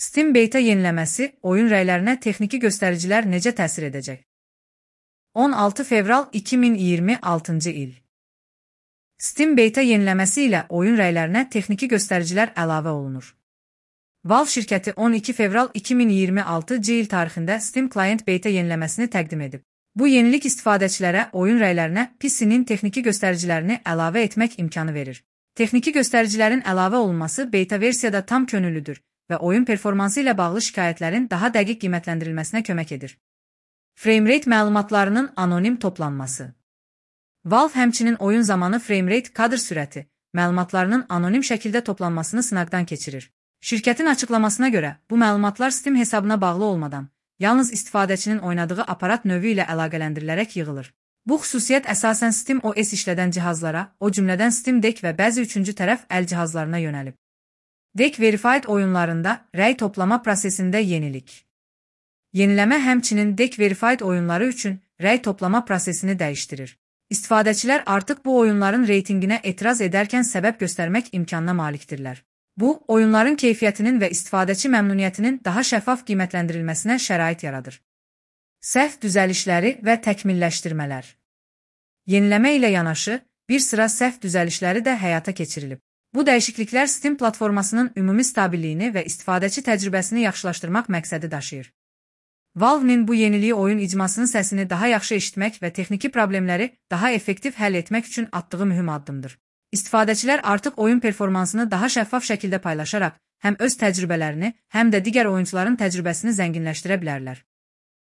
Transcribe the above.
Steam beta yeniləməsi oyun rəylərinə texniki göstəricilər necə təsir edəcək? 16 fevral 2026-cı il. Steam beta yeniləməsi ilə oyun rəylərinə texniki göstəricilər əlavə olunur. Valve şirkəti 12 fevral 2026-cı il tarixində Steam Client beta yeniləməsini təqdim edib. Bu yenilik istifadəçilərə oyun rəylərinə PC-nin texniki göstəricilərini əlavə etmək imkanı verir. Texniki göstəricilərin əlavə olunması beta versiyada tam könüllüdür və oyun performansı ilə bağlı şikayətlərin daha dəqiq qiymətləndirilməsinə kömək edir. Framerate məlumatlarının anonim toplanması. Valve həmçinin oyun zamanı framerate kadr sürəti məlumatlarının anonim şəkildə toplanmasını sınaqdan keçirir. Şirkətin açıqlamasına görə, bu məlumatlar Steam hesabına bağlı olmadan, yalnız istifadəçinin oynadığı aparat növü ilə əlaqələndirilərək yığılır. Bu xüsusiyyət əsasən Steam OS işlədən cihazlara, o cümlədən Steam Deck və bəzi üçüncü tərəf əl cihazlarına yönəlib. Deck Verified oyunlarında rəy toplama prosesində yenilik. Yeniləmə həmçinin Deck Verified oyunları üçün rəy toplama prosesini dəyişdirir. İstifadəçilər artıq bu oyunların reytinginə etiraz edərkən səbəb göstərmək imkanına malikdirlər. Bu, oyunların keyfiyyətinin və istifadəçi məmnuniyyətinin daha şəffaf qiymətləndirilməsinə şərait yaradır. Səhv düzəlişləri və təkmilləşdirmələr. Yeniləmə ilə yanaşı, bir sıra səhv düzəlişləri də həyata keçirilib. Bu dəyişikliklər Steam platformasının ümumi stabilliyini və istifadəçi təcrübəsini yaxşılaşdırmaq məqsədi daşıyır. Valve-nin bu yeniliyi oyun icmasının səsini daha yaxşı eşitmək və texniki problemləri daha effektiv həll etmək üçün atdığı mühüm addımdır. İstifadəçilər artıq oyun performansını daha şəffaf şəkildə paylaşaraq həm öz təcrübələrini, həm də digər oyuncuların təcrübəsini zənginləşdirə bilərlər.